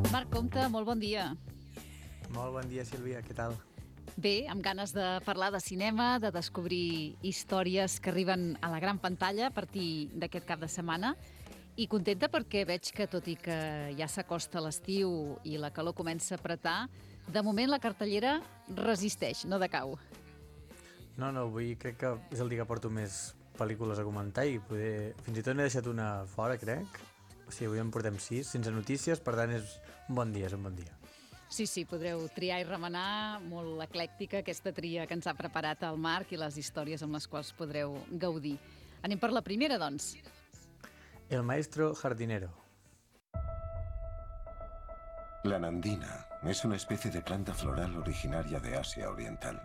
Marc Compte, molt bon dia. Molt bon dia, Sílvia, què tal? Bé, amb ganes de parlar de cinema, de descobrir històries que arriben a la gran pantalla a partir d'aquest cap de setmana, i contenta perquè veig que, tot i que ja s'acosta l'estiu i la calor comença a apretar, de moment la cartellera resisteix, no decau. No, avui crec que és el dia que porto més pel·lícules a comentar i poder... fins i tot n'he deixat una fora, crec. O sigui, avui en portem 6, sense notícies, per tant és un bon dia, Sí, podreu triar i remenar, molt eclèctica aquesta tria que ens ha preparat el Marc i les històries amb les quals podreu gaudir. Anem per la primera, doncs. El maestro jardinero. La nandina es una especie de planta floral originaria de Asia Oriental.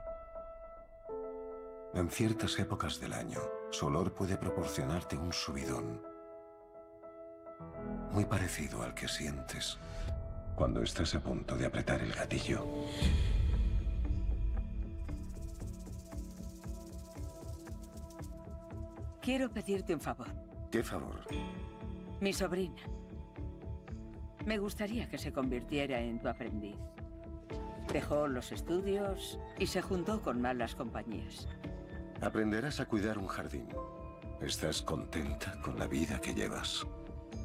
En ciertas épocas del año, su olor puede proporcionarte un subidón, muy parecido al que sientes cuando estás a punto de apretar el gatillo. Quiero pedirte un favor. ¿Qué favor? Mi sobrina. Me gustaría que se convirtiera en tu aprendiz. Dejó los estudios y se juntó con malas compañías. Aprenderás a cuidar un jardín. ¿Estás contenta con la vida que llevas?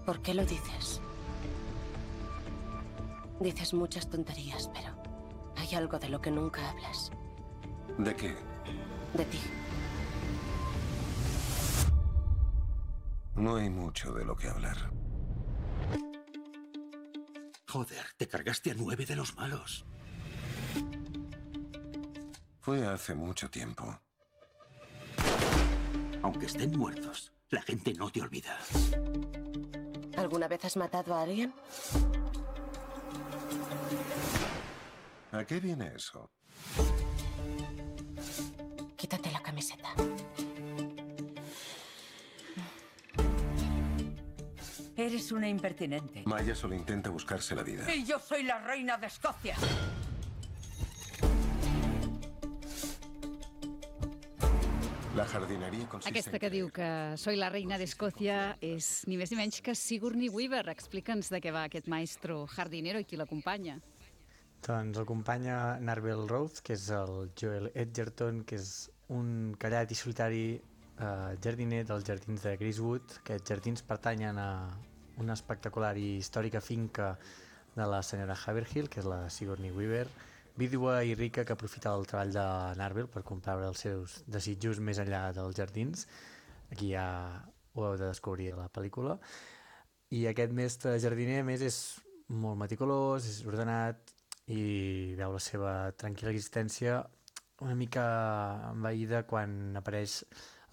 ¿Por qué lo dices? Dices muchas tonterías, pero hay algo de lo que nunca hablas. ¿De qué? De ti. No hay mucho de lo que hablar. Joder, te cargaste a 9 de los malos. Fue hace mucho tiempo. Aunque estén muertos, la gente no te olvida. ¿Alguna vez has matado a alguien? ¿A qué viene eso? Quítate la camiseta. Eres una impertinente. Maya solo intenta buscarse la vida. Y yo soy la reina de Escocia. La jardineria consiste Aquesta que diu que soy la reina d'Escòcia és ni més ni menys que Sigourney Weaver. Explica'ns de què va aquest maestro jardinero i qui l'acompanya. Doncs acompanya Narvel Rose, que és el Joel Edgerton, que és un callat i solitari jardiner dels jardins de Greasewood. Aquests jardins pertanyen a una espectacular i històrica finca de la senyora Haverhill, que és la Sigourney Weaver, vídua i rica que aprofita el treball de Narvel per comprar els seus desitjos més enllà dels jardins. Aquí ja ho heu de descobrir a la pel·lícula. I aquest mestre jardiner, a més, és molt meticulós, és ordenat i veu la seva tranquil·la existència una mica envaïda quan apareix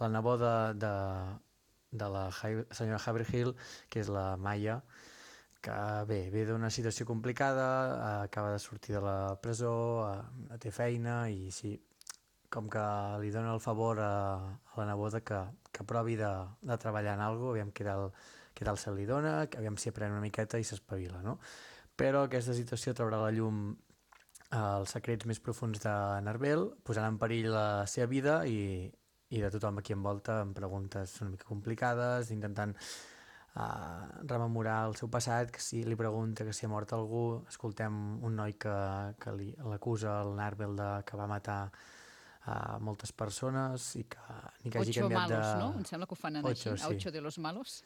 la neboda de la senyora Haverhill, que és la Maya, que ve d'una situació complicada, acaba de sortir de la presó, té feina i sí, com que li dona el favor a la neboda que provi de treballar en alguna cosa, aviam què tal se li dona, aviam si aprèn una miqueta i s'espavila, no? Però aquesta situació traurà a la llum els secrets més profuns de Narvel, posant en perill la seva vida i de tothom aquí envolta amb preguntes una mica complicades, intentant rememorar el seu passat, que si li pregunta que si ha mort algú. Escoltem un noi que l'acusa, el Narvel, que va matar moltes persones i que ni que hagi canviat de... 8 malos, no? Em sembla que ho fan així, sí. 8 de los malos.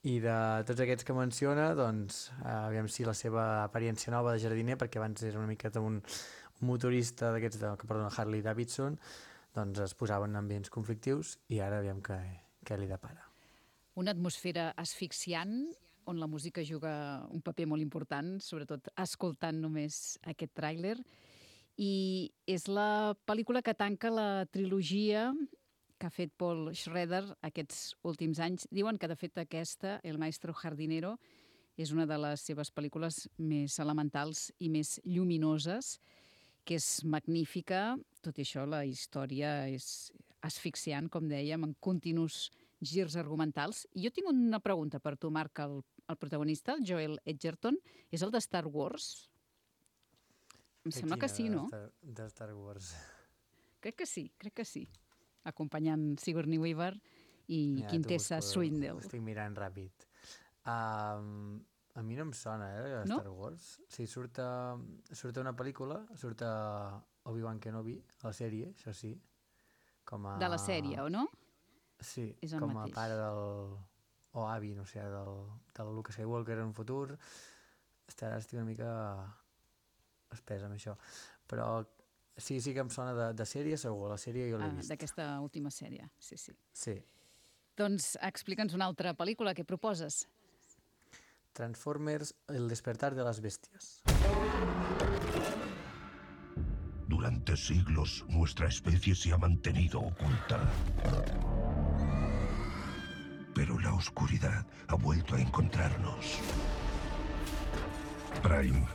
I de tots aquests que menciona, doncs, aviam si la seva apariència nova de jardiner, perquè abans era una miqueta un motorista d'aquests, Harley Davidson, doncs es posaven en ambients conflictius i ara aviam què li depara. Una atmosfera asfixiant, on la música juga un paper molt important, sobretot escoltant només aquest tràiler. I és la pel·lícula que tanca la trilogia que ha fet Paul Schrader aquests últims anys. Diuen que, de fet, aquesta, El maestro jardinero, és una de les seves pel·lícules més elementals i més lluminoses, que és magnífica. Tot i això, la història és asfixiant, com dèiem, en continus girs argumentals. I jo tinc una pregunta per tu, Marc, el protagonista, el Joel Edgerton, és el de Star Wars? Em sembla que sí, no? De Star Wars. Crec que sí. Acompanyant Sigourney Weaver i Quintessa Swindell. Estic mirant ràpid. A mi no em sona, Star Wars. Sí, surt una pel·lícula, surt Obi-Wan Kenobi, a la sèrie, això sí. De la sèrie, o no? Sí, com a pare del... o avi, no sé, del Luke Skywalker en un futur. Estic una mica espès amb això. Però sí que em sona de sèrie, segur. La sèrie jo l'he vist. D'aquesta última sèrie, sí. Sí. Doncs explica'ns una altra pel·lícula. Què proposes? Transformers, El despertar de las bestias. Durante siglos, nuestra especie se ha mantenido oculta. Pero la oscuridad ha vuelto a encontrarnos. Prime.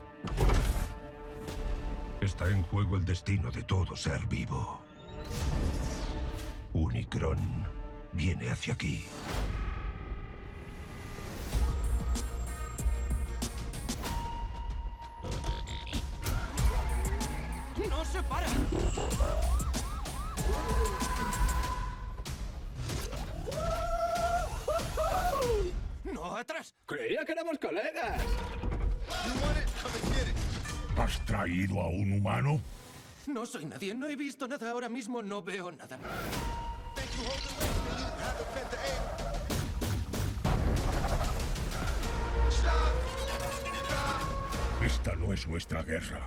Está en juego el destino de todo ser vivo. Unicron viene hacia aquí. ¡No se para! ¡No, atrás! Creía que éramos colegas. ¿Has traído a un humano? No soy nadie, no he visto nada ahora mismo, no veo nada. Esta no es nuestra guerra.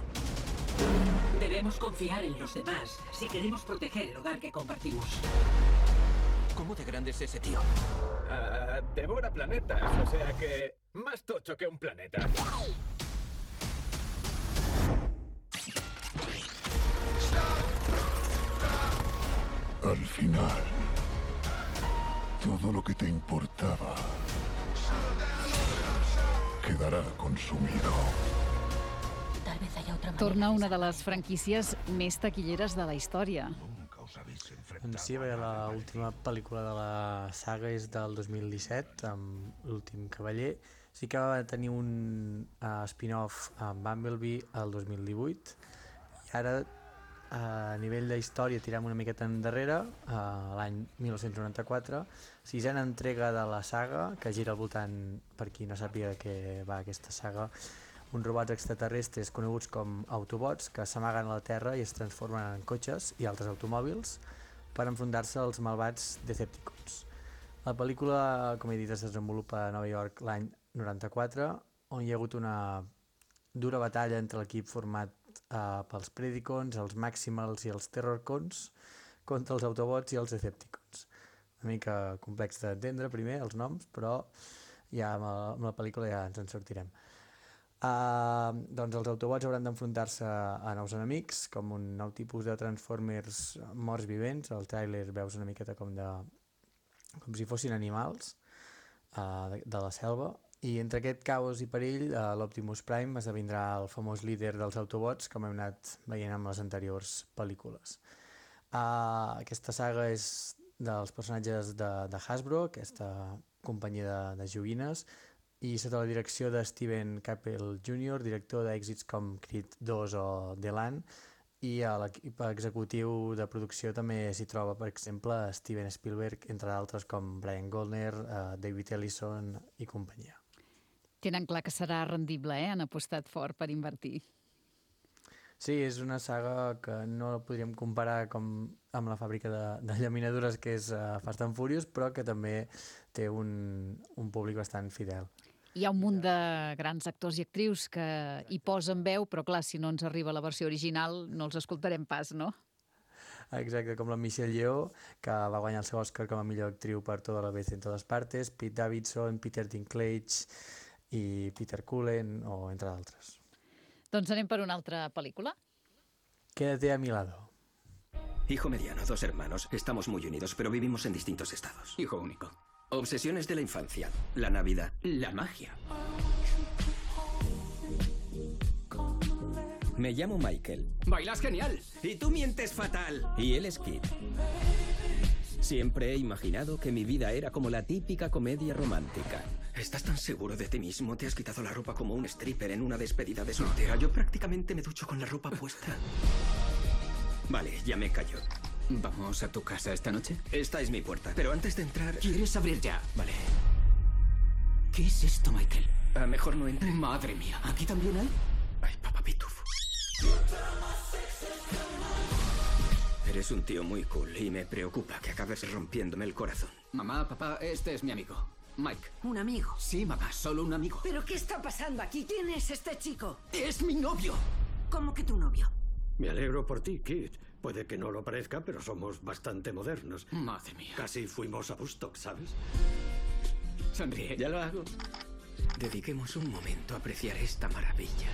Debemos confiar en los demás si queremos proteger el hogar que compartimos. ¿Cómo de grande es ese tío? Devora planetas, o sea que más tocho que un planeta. Al final, todo lo que te importaba quedará consumido. Tal vez haya otra manera. Torna una de les franquícies més taquilleres de la història. Doncs sí, l'última pel·lícula de la saga és del 2017, amb L'últim cavaller. Sí que va tenir un spin-off amb Bumblebee el 2018, i ara a nivell de història tirem una miqueta endarrere, l'any 1994, sisena entrega de la saga, que gira al voltant, per qui no sàpiga de què va aquesta saga, uns robots extraterrestres coneguts com Autobots que s'amaguen a la Terra i es transformen en cotxes i altres automòbils per enfrontar-se als malvats Decepticons. La pel·lícula, com he dit, es desenvolupa a Nova York l'any 94, on hi ha hagut una dura batalla entre l'equip format pels Predicons, els Maximals i els Terrorcons contra els Autobots i els Decepticons. Una mica complex d'entendre primer els noms, però ja amb la pel·lícula ja ens en sortirem. Doncs els Autobots hauran d'enfrontar-se a nous enemics, com un nou tipus de Transformers morts vivents. Al tràiler veus una miqueta com si fossin animals de la selva. I entre aquest caos i perill, l'Optimus Prime esdevindrà el famós líder dels Autobots, com hem anat veient amb les anteriors pel·lícules. Aquesta saga és dels personatges de Hasbro, aquesta companyia de joguines, i sota la direcció de Steven Caple Jr., director d'èxits com Creed 2 o The Land, i a l'equip executiu de producció també s'hi troba, per exemple, Steven Spielberg, entre d'altres com Brian Goldner, David Ellison i companyia. Tenen clar que serà rendible, han apostat fort per invertir. Sí, és una saga que no la podríem comparar amb la fàbrica de llaminadures que és Fast and Furious, però que també té un públic bastant fidel. Hi ha un munt de grans actors i actrius que hi posen veu, però clar, si no ens arriba la versió original no els escoltarem pas, no? Exacte, com la Michelle Yeoh, que va guanyar el seu Oscar com a millor actriu per Toda la vez en todas partes, Pete Davidson, Peter Dinklage i Peter Cullen, o entre d'altres. Doncs anem per una altra pel·lícula. Quédate a mi lado. Hijo mediano, 2 hermanos. Estamos muy unidos, pero vivimos en distintos estados. Hijo único. Obsesiones de la infancia. La Navidad. La magia. Me llamo Michael. ¡Bailas genial! Y tú mientes fatal. Y él es Kit. Siempre he imaginado que mi vida era como la típica comedia romántica. ¿Estás tan seguro de ti mismo? Te has quitado la ropa como un stripper en una despedida de soltera. Yo prácticamente me ducho con la ropa puesta. Vale, ya me callo. ¿Vamos a tu casa esta noche? Esta es mi puerta, pero antes de entrar... ¿Quieres abrir ya? Vale. ¿Qué es esto, Michael? Mejor no entre. Madre mía, ¿aquí también hay? Ay, papá pitufo. Eres un tío muy cool y me preocupa que acabes rompiéndome el corazón. Mamá, papá, este es mi amigo, Mike. ¿Un amigo? Sí, mamá, solo un amigo. ¿Pero qué está pasando aquí? ¿Quién es este chico? ¡Es mi novio! ¿Cómo que tu novio? Me alegro por ti, Kit. Puede que no lo parezca, pero somos bastante modernos. Madre mía. Casi fuimos a Woodstock, ¿sabes? Sonríe. Ya lo hago. Dediquemos un momento a apreciar esta maravilla.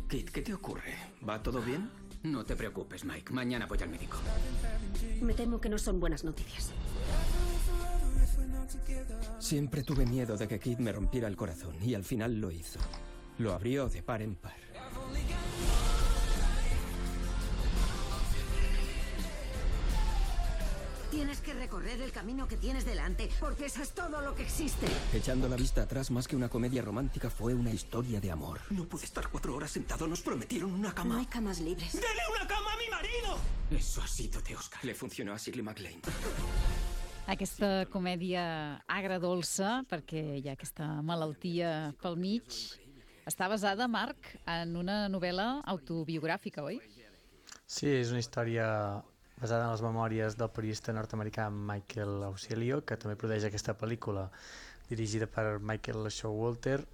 Kit, ¿qué te ocurre? ¿Va todo bien? No te preocupes, Mike. Mañana voy al médico. Me temo que no son buenas noticias. Siempre tuve miedo de que Kit me rompiera el corazón y al final lo hizo. Lo abrió de par en par. Tienes que recorrer el camino que tienes delante, porque eso es todo lo que existe. Echando la vista atrás, más que una comedia romántica, fue una historia de amor. No pude estar 4 horas sentado. Nos prometieron una cama. No hay camas libres. ¡Dele una cama a mi marido! Eso ha sido de Oscar. Le funcionó a Shirley MacLaine. Aquesta comèdia agradolça, perquè hi ha aquesta malaltia pel mig, està basada, Marc, en una novel·la autobiogràfica, oi? Sí, és una història basada en les memòries del periodista nord-americà Michael Ausilio, que també produeix aquesta pel·lícula dirigida per Michael Showalter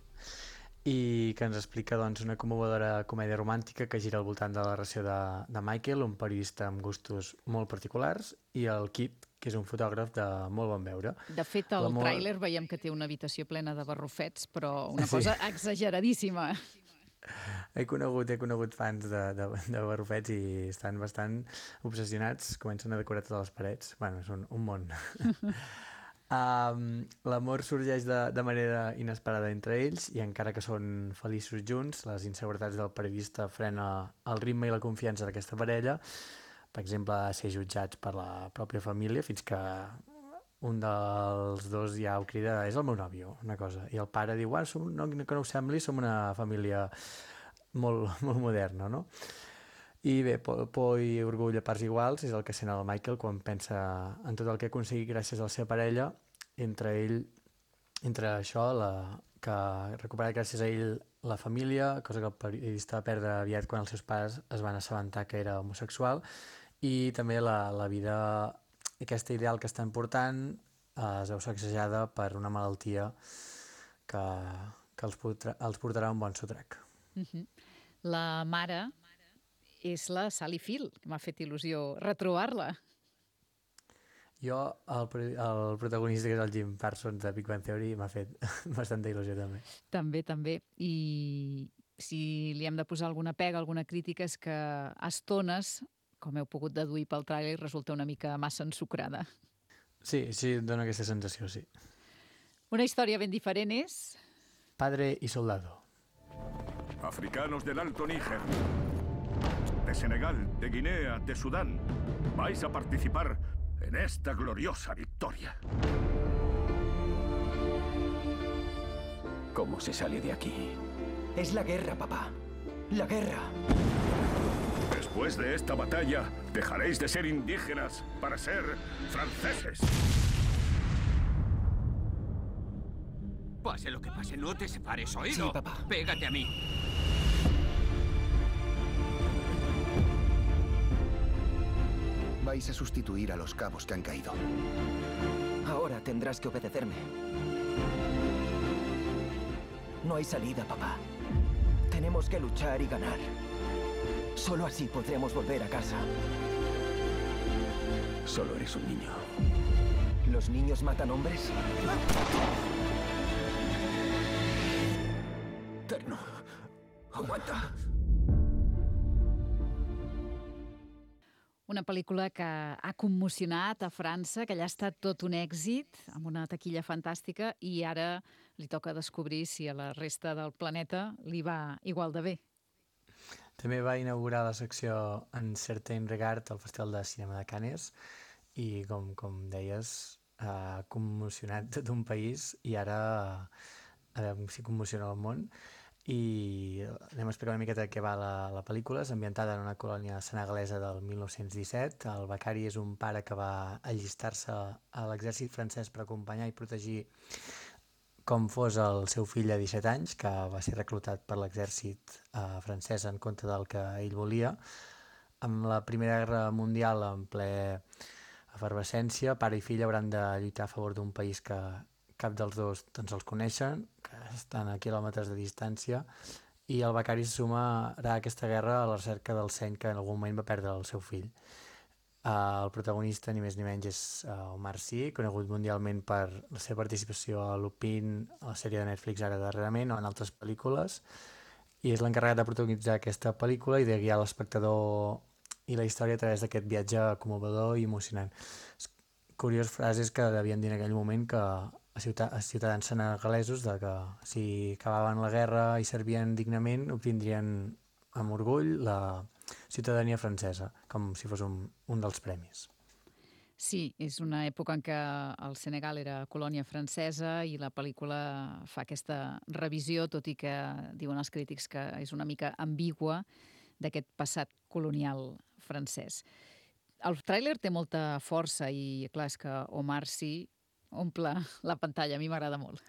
i que ens explica doncs, una commovedora comèdia romàntica que gira al voltant de la relació de Michael, un periodista amb gustos molt particulars, i el Kit, que és un fotògraf de molt bon veure. De fet, al tràiler veiem que té una habitació plena de barrufets, però una cosa exageradíssima. He conegut fans de barrufets i estan bastant obsessionats, comencen a decorar totes les parets. Bueno, és un món. L'amor sorgeix de manera inesperada entre ells i encara que són feliços junts, les inseguretats del periodista frena el ritme i la confiança d'aquesta parella. Per exemple, ser jutjats per la pròpia família fins que un dels dos ja ho crida, és el meu nòvio, una cosa. I el pare diu, no que no ho sembli, som una família molt moderna, no? I bé, por i orgull a parts iguals és el que sent el Michael quan pensa en tot el que ha aconseguit gràcies a la seva parella, entre això, que recupera gràcies a ell la família, cosa que el periodista va perdre aviat quan els seus pares es van assabentar que era homosexual, i també la vida, aquesta ideal que estan portant es veu sacsejada per una malaltia que els portarà un bon sotrac. La mare és la Sally Field, que m'ha fet il·lusió retrobar-la. Jo, el protagonista, que és el Jim Parsons de Big Bang Theory, m'ha fet bastanta il·lusió també. També. I si li hem de posar alguna pega, alguna crítica, és que a estones, com heu pogut deduir pel tràiler, resulta una mica massa ensucrada. Sí, dona aquesta sensació, sí. Una història ben diferent és... Padre y soldado. Africanos del Alto Níger, de Senegal, de Guinea, de Sudán, vais a participar en esta gloriosa victoria. ¿Cómo se sale de aquí? Es la guerra, papá. La guerra. Después de esta batalla, dejaréis de ser indígenas para ser franceses. Pase lo que pase, no te separes, ¿oído? Sí, papá. Pégate a mí. Vais a sustituir a los cabos que han caído. Ahora tendrás que obedecerme. No hay salida, papá. Tenemos que luchar y ganar. Solo así podremos volver a casa. Solo eres un niño. ¿Los niños matan hombres? Terno, aguanta. Una pel·lícula que ha commocionat a França, que allà ha estat tot un èxit, amb una taquilla fantàstica, i ara li toca descobrir si a la resta del planeta li va igual de bé. També va inaugurar la secció En Certain Regard al Festival de Cinema de Cannes i, com deies, ha commocionat tot un país i ara a veure si commociona el món. I anem a explicar una miqueta de què va la pel·lícula. És ambientada en una colònia senegalesa del 1917. El becari és un pare que va allistar-se a l'exèrcit francès per acompanyar i protegir com fos el seu fill de 17 anys, que va ser reclutat per l'exèrcit francès en contra del que ell volia. Amb la Primera Guerra Mundial en ple efervescència, pare i fill hauran de lluitar a favor d'un país que cap dels dos doncs, els coneixen, que estan a quilòmetres de distància, i el becari se sumarà a aquesta guerra a la recerca del seny que en algun moment va perdre el seu fill. El protagonista, ni més ni menys, és Omar Sy, conegut mundialment per la seva participació a Lupin, a la sèrie de Netflix ara darrerament, o en altres pel·lícules, i és l'encarregat de protagonitzar aquesta pel·lícula i de guiar l'espectador i la història a través d'aquest viatge commovedor i emocionant. Curiós frases que devien dir en aquell moment que a ciutadans senegalesos de que si acabaven la guerra i servien dignament obtindrien amb orgull la ciutadania francesa, com si fos un dels premis. Sí, és una època en què el Senegal era colònia francesa i la pel·lícula fa aquesta revisió, tot i que diuen els crítics que és una mica ambigua d'aquest passat colonial francès. El tràiler té molta força i, clar, és que Omar Sy omple la pantalla. A mi m'agrada molt.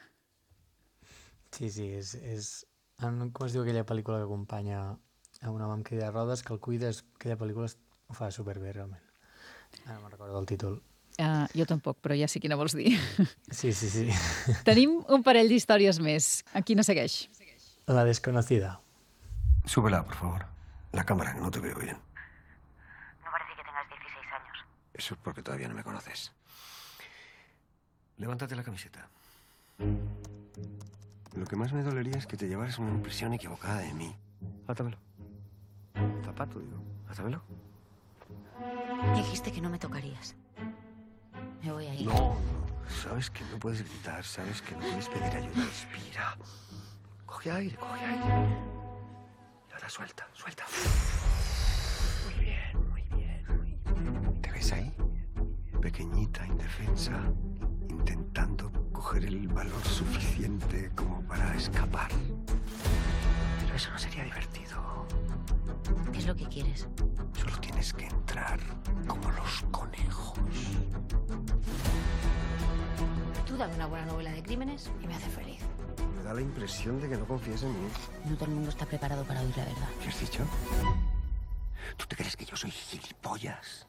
Sí, com es diu aquella pel·lícula que acompanya a un home amb cadira de rodes, que el cuida, aquella pel·lícula ho fa superbé, realment. Ara me'n recordo del títol. Jo tampoc, però ja sé quina vols dir. Sí. Tenim un parell d'històries més. A quina segueix? La desconocida. Súbela, por favor. La cámara, que no te veo bien. No parece que tengas 16 años. Eso es porque todavía no me conoces. Levántate la camiseta. Lo que más me dolería es que te llevaras una impresión equivocada de mí. Átamelo. Zapato, digo. Átamelo. Dijiste que no me tocarías. Me voy a ir. No. Sabes que no puedes gritar. Sabes que no puedes pedir ayuda. Respira. Coge aire. Y ahora suelta. Muy bien. ¿Te ves ahí? Pequeñita, indefensa, intentando coger el valor suficiente como para escapar. Pero eso no sería divertido. ¿Qué es lo que quieres? Solo tienes que entrar como los conejos. Tú dame una buena novela de crímenes y me hace feliz. Me da la impresión de que no confías en mí. No todo el mundo está preparado para oír la verdad. ¿Qué has dicho? ¿Tú te crees que yo soy gilipollas?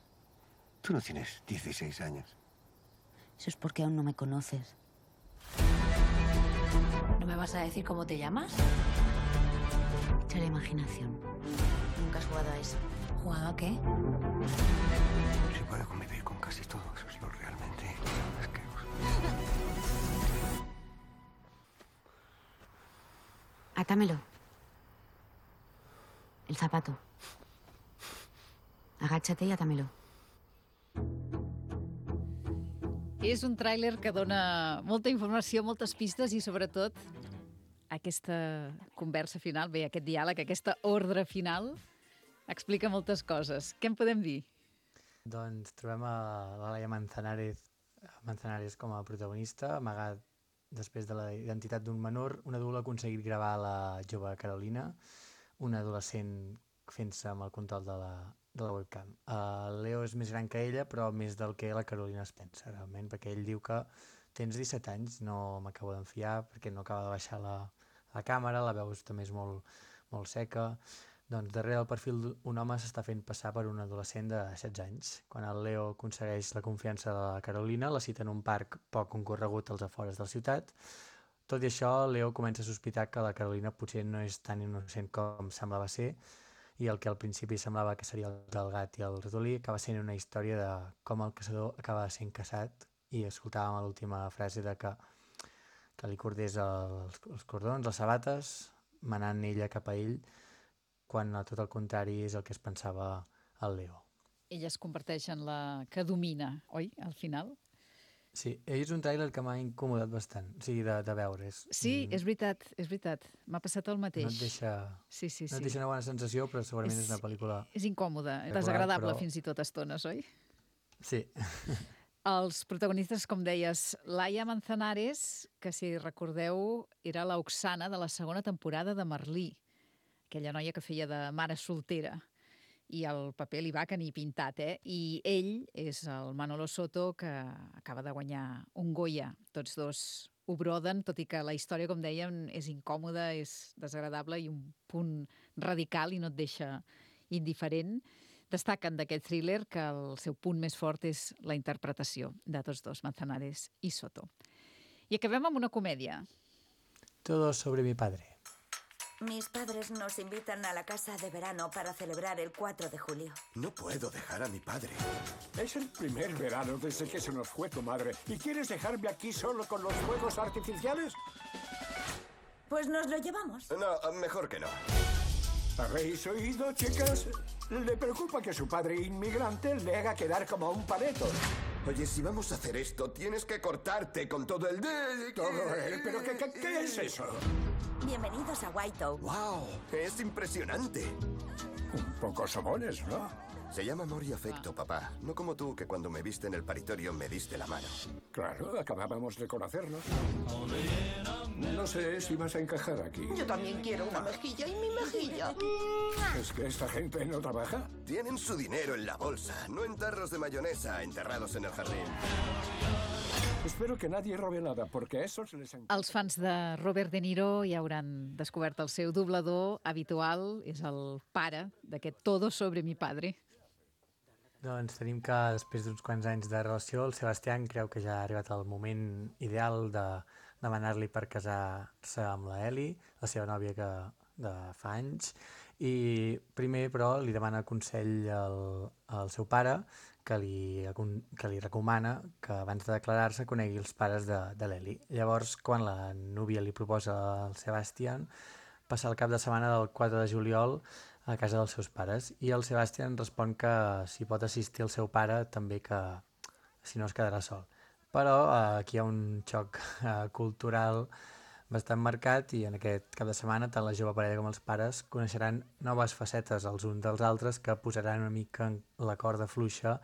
Tú no tienes 16 años. Eso es porque aún no me conoces. ¿No me vas a decir cómo te llamas? Echa la imaginación. Nunca has jugado a eso. ¿Jugado a qué? Si puedo convivir con casi todo, eso es lo realmente asqueroso. Atámelo. El zapato. Agáchate y atámelo. És un tràiler que dona molta informació, moltes pistes i, sobretot, aquesta conversa final, bé, aquest diàleg, aquesta ordre final, explica moltes coses. Què en podem dir? Doncs trobem a l'Alaia Manzanares com a protagonista, amagat després de la identitat d'un menor. Un adult ha aconseguit gravar la jove Carolina, una adolescent fent-se amb el control de la webcam. Leo és més gran que ella, però més del que la Carolina es pensa, realment, perquè ell diu que tens 17 anys, no m'acabo d'enfiar, perquè no acaba de baixar la càmera, la veus també és molt seca. Doncs darrere del perfil un home s'està fent passar per un adolescent de 16 anys. Quan el Leo aconsegueix la confiança de la Carolina, la cita en un parc poc concorregut als afores de la ciutat. Tot i això, Leo comença a sospitar que la Carolina potser no és tan innocent com semblava ser, i el que al principi semblava que seria el gat i el ratolí acaba sent una història de com el caçador acaba sent caçat, i escoltàvem a l'última frase de que li cordés els cordons, les sabates, manant ella cap a ell, quan tot el contrari és el que es pensava el Leo. Ella es converteix en la que domina, oi, al final? Sí, és un tràiler que m'ha incomodat bastant, o sigui, de veure. Sí, és veritat, és veritat. M'ha passat el mateix. No et deixa, no et deixa una bona sensació, però segurament és una pel·lícula... És incòmode, desagradable fins i tot a estones, oi? Sí. Els protagonistes, com deies, Laia Manzanares, que si recordeu era l'Oxana de la segona temporada de Merlí, aquella noia que feia de mare soltera. I el paper li va que ni pintat, I ell és el Manolo Soto, que acaba de guanyar un Goya. Tots dos ho broden, tot i que la història, com dèiem, és incòmoda, és desagradable i un punt radical i no et deixa indiferent. Destaquen d'aquest thriller que el seu punt més fort és la interpretació de tots dos, Manzanares i Soto. I acabem amb una comèdia. Todo sobre mi padre. Mis padres nos invitan a la casa de verano para celebrar el 4 de julio. No puedo dejar a mi padre. Es el primer verano desde que se nos fue tu madre. ¿Y quieres dejarme aquí solo con los fuegos artificiales? Pues nos lo llevamos. No, mejor que no. ¿Habéis oído, chicas? Le preocupa que su padre inmigrante le haga quedar como un paleto. Oye, si vamos a hacer esto, tienes que cortarte con todo el... ¿Todo él? ¿Pero qué es eso? Bienvenidos a White Oak. ¡Wow! Es impresionante. Un poco sobones, ¿no? Se llama amor y afecto, papá. No como tú, que cuando me viste en el paritorio me diste la mano. Claro, acabábamos de conocernos. No sé si vas a encajar aquí. Yo también quiero una mejilla y mi mejilla. ¿Es que esta gente no trabaja? Tienen su dinero en la bolsa, no en tarros de mayonesa enterrados en el jardín. Espero que nadie robe nada, porque a esos les encanta. Els fans de Robert De Niro ja hauran descobert el seu doblador habitual, és el pare d'aquest Todo sobre mi padre. Doncs tenim que després d'uns quants anys de relació, el Sebastián creu que ja ha arribat el moment ideal de demanar-li per casar-se amb la Ellie, la seva nòvia de fa anys, i primer, però, li demana consell al seu pare, que li recomana que abans de declarar-se conegui els pares de l'Ellie. Llavors, quan la núvia li proposa al Sebastián passar el cap de setmana del 4 de juliol a casa dels seus pares, i el Sebastián respon que si pot assistir el seu pare, també que si no es quedarà sol. Però aquí hi ha un xoc cultural bastant marcat i en aquest cap de setmana tant la jove parella com els pares coneixeran noves facetes els uns dels altres que posaran una mica en la corda fluixa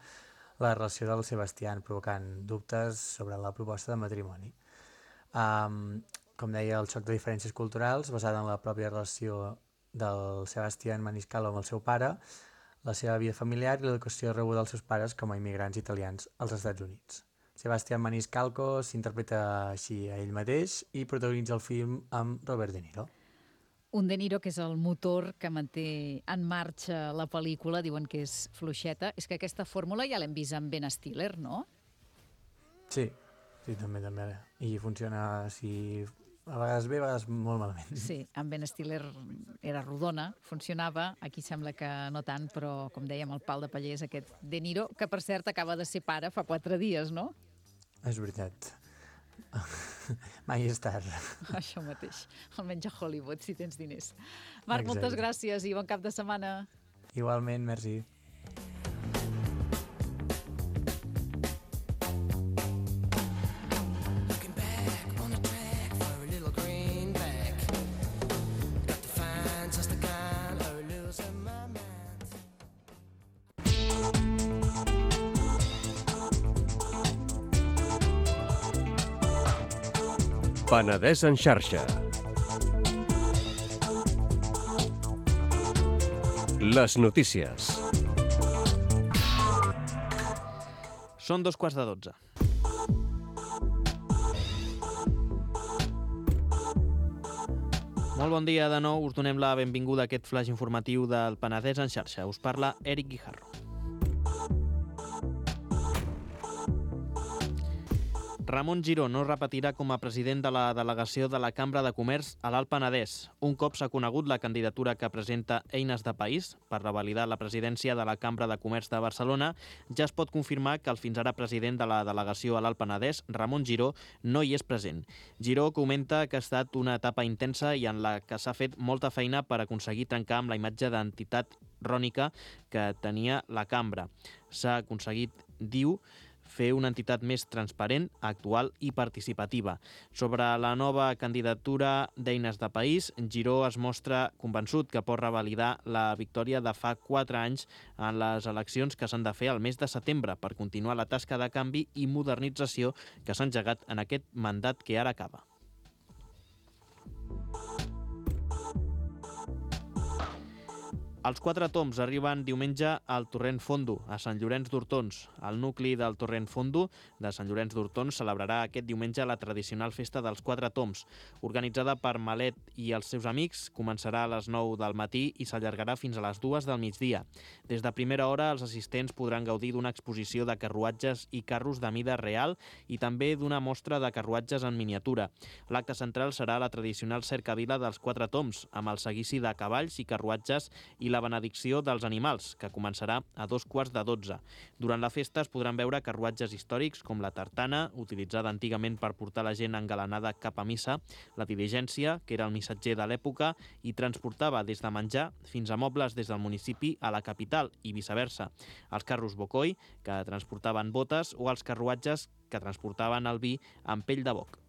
la relació del Sebastián, provocant dubtes sobre la proposta de matrimoni. Com deia, el xoc de diferències culturals basada en la pròpia relació del Sebastián Maniscalco amb el seu pare, la seva vida familiar i l'educació rebuda dels seus pares com a immigrants italians als Estats Units. Sebastián Maniscalco s'interpreta així a ell mateix i protagonitza el film amb Robert De Niro. Un De Niro que és el motor que manté en marxa la pel·lícula, diuen que és fluixeta. És que aquesta fórmula ja l'hem vist amb Ben Stiller, no? Sí, també. I funciona així... A vegades bé, a vegades molt malament. Sí, amb Ben Stiller era rodona, funcionava, aquí sembla que no tant, però, com dèiem, el pal de paller és aquest De Niro, que, per cert, acaba de ser pare fa 4 dies, no? És veritat. Mai és tard. Això mateix, almenys a Hollywood, si tens diners. Marc, moltes gràcies i bon cap de setmana. Igualment, merci. Penedès en xarxa. Les notícies. Són 12:15. Molt bon dia de nou. Us donem la benvinguda a aquest flash informatiu del Penedès en xarxa. Us parla Eric Guijarro. Ramon Giró no repetirà com a president de la delegació de la Cambra de Comerç a l'Alt Penedès. Un cop s'ha conegut la candidatura que presenta Eines de País per revalidar la presidència de la Cambra de Comerç de Barcelona, ja es pot confirmar que el fins ara president de la delegació a l'Alt Penedès, Ramon Giró, no hi és present. Giró comenta que ha estat una etapa intensa i en la que s'ha fet molta feina per aconseguir trencar amb la imatge d'entitat rònica que tenia la Cambra. S'ha aconseguit, diu, fer una entitat més transparent, actual i participativa. Sobre la nova candidatura d'Eines de País, Giró es mostra convençut que pot revalidar la victòria de fa 4 anys en les eleccions que s'han de fer al mes de setembre per continuar la tasca de canvi i modernització que s'ha engegat en aquest mandat que ara acaba. Els 4 toms arriben diumenge al Torrent Fondo, a Sant Llorenç d'Hortons. El nucli del Torrent Fondo de Sant Llorenç d'Hortons celebrarà aquest diumenge la tradicional festa dels 4 toms. Organitzada per Malet i els seus amics, començarà a les 9 del matí i s'allargarà fins a les 2 del migdia. Des de primera hora, els assistents podran gaudir d'una exposició de carruatges i carros de mida real i també d'una mostra de carruatges en miniatura. L'acte central serà la tradicional cercavila dels 4 toms, amb el seguici de cavalls i carruatges i la benedicció dels animals, que començarà a 11:45. Durant la festa es podran veure carruatges històrics com la tartana, utilitzada antigament per portar la gent engalanada cap a missa, la diligència, que era el missatger de l'època i transportava des de menjar fins a mobles des del municipi a la capital i viceversa. Els carros bocoi, que transportaven botes, o els carruatges que transportaven el vi amb pell de boc.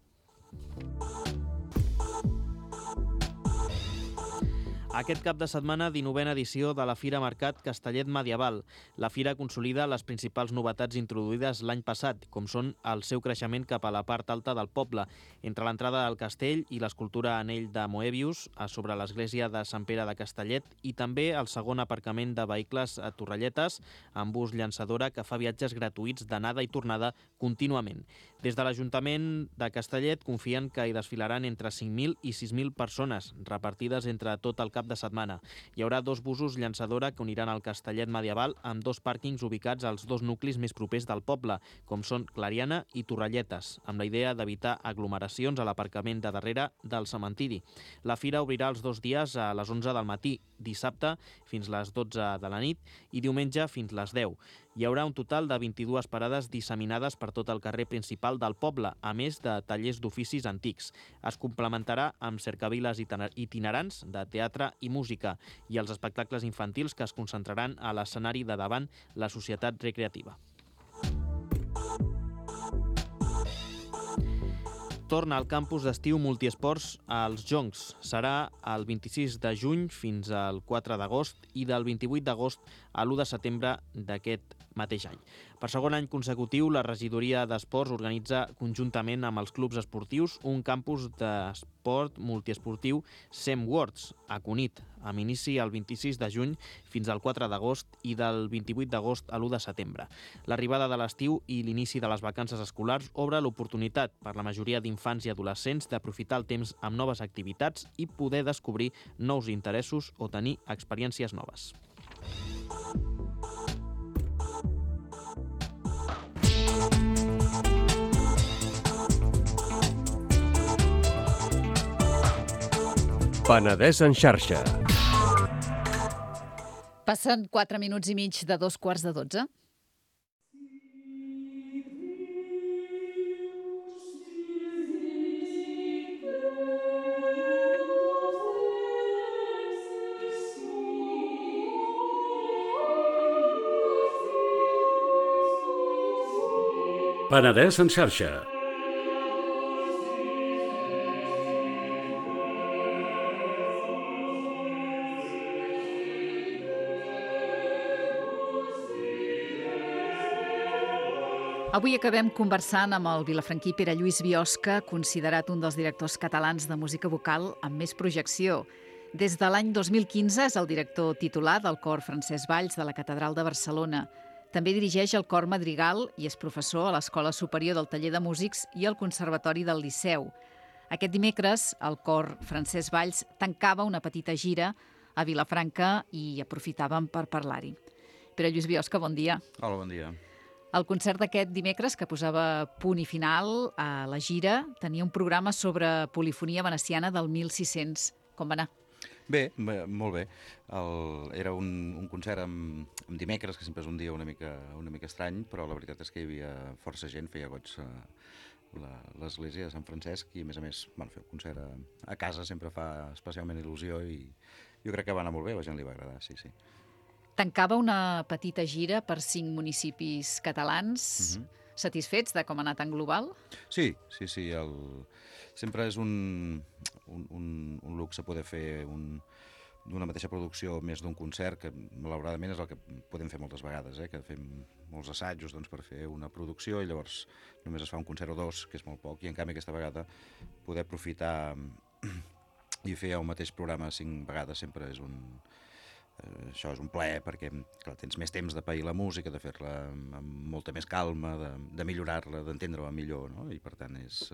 Aquest cap de setmana, 19a edició de la Fira Mercat Castellet Medieval. La fira consolida les principals novetats introduïdes l'any passat, com són el seu creixement cap a la part alta del poble, entre l'entrada al castell i l'escultura anell de Moebius sobre l'església de Sant Pere de Castellet i també el segon aparcament de vehicles a Torrelletes amb bus llançadora que fa viatges gratuïts d'anada i tornada contínuament. Des de l'Ajuntament de Castellet confien que hi desfilaran entre 5.000 i 6.000 persones, repartides entre tot el cap de setmana. Hi haurà 2 busos llançadora que uniran el Castellet Medieval amb 2 pàrquings ubicats als 2 nuclis més propers del poble, com són Clariana i Torrelletes, amb la idea d'evitar aglomeracions a l'aparcament de darrere del cementiri. La fira obrirà els 2 dies a les 11 del matí, dissabte fins les 12 de la nit i diumenge fins les 10. Hi haurà un total de 22 parades disseminades per tot el carrer principal del poble, a més de tallers d'oficis antics. Es complementarà amb cercaviles itinerants de teatre i música i els espectacles infantils que es concentraran a l'escenari de davant la Societat Recreativa. Torna al campus d'estiu multiesports als Joncs. Serà el 26 de juny fins al 4 d'agost i del 28 d'agost a l'1 de setembre d'aquest mateix any. Per segon any consecutiu, la regidoria d'esports organitza conjuntament amb els clubs esportius un campus d'esport multiesportiu SEMWorlds a Cunit, amb inici el 26 de juny fins al 4 d'agost i del 28 d'agost a l'1 de setembre. L'arribada de l'estiu i l'inici de les vacances escolars obre l'oportunitat per la majoria d'infants i adolescents d'aprofitar el temps amb noves activitats i poder descobrir nous interessos o tenir experiències noves. Penedès en xarxa. Passen 4 minuts i mig de 2:15. Penedès en xarxa. Avui acabem conversant amb el vilafranquí Pere Lluís Biosca, considerat un dels directors catalans de música vocal amb més projecció. Des de l'any 2015 és el director titular del cor Francesc Valls de la Catedral de Barcelona. També dirigeix el cor Madrigal i és professor a l'Escola Superior del Taller de Músics i al Conservatori del Liceu. Aquest dimecres, el cor Francesc Valls tancava una petita gira a Vilafranca i aprofitàvem per parlar-hi. Pere Lluís Biosca, bon dia. Hola, bon dia. El concert d'aquest dimecres, que posava punt i final a la gira, tenia un programa sobre polifonia veneciana del 1600. Com va anar? Bé, molt bé. Era un concert amb dimecres, que sempre és un dia una mica estrany, però la veritat és que hi havia força gent, feia goig l'església de Sant Francesc i, a més, fer un concert a casa sempre fa especialment il·lusió i jo crec que va anar molt bé, a la gent li va agradar, sí. Tancava una petita gira per 5 municipis catalans. Satisfets de com ha anat en global? Sí. Sempre és un luxe poder fer d'una mateixa producció més d'un concert, que malauradament és el que podem fer moltes vegades, que fem molts assajos per fer una producció i llavors només es fa un concert o dos, que és molt poc, i en canvi aquesta vegada poder aprofitar i fer el mateix programa 5 vegades sempre és això és un plaer, perquè clar, tens més temps de pair la música, de fer-la amb molta més calma, de millorar-la, d'entendre-la millor, no? I per tant és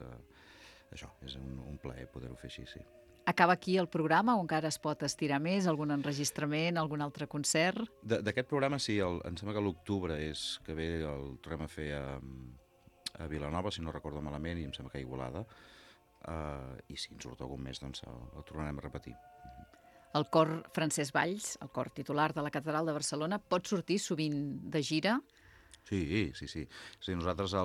un plaer poder-ho fer així, sí. Acaba aquí el programa o encara es pot estirar més? Algun enregistrament, algun altre concert? D'aquest programa sí, em sembla que l'octubre és que ve, el tornem a fer a Vilanova, si no recordo malament, i em sembla que a Igualada, i si en surt algun més, doncs el tornarem a repetir. El cor Francesc Valls, el cor titular de la Catedral de Barcelona, pot sortir sovint de gira? Sí. Nosaltres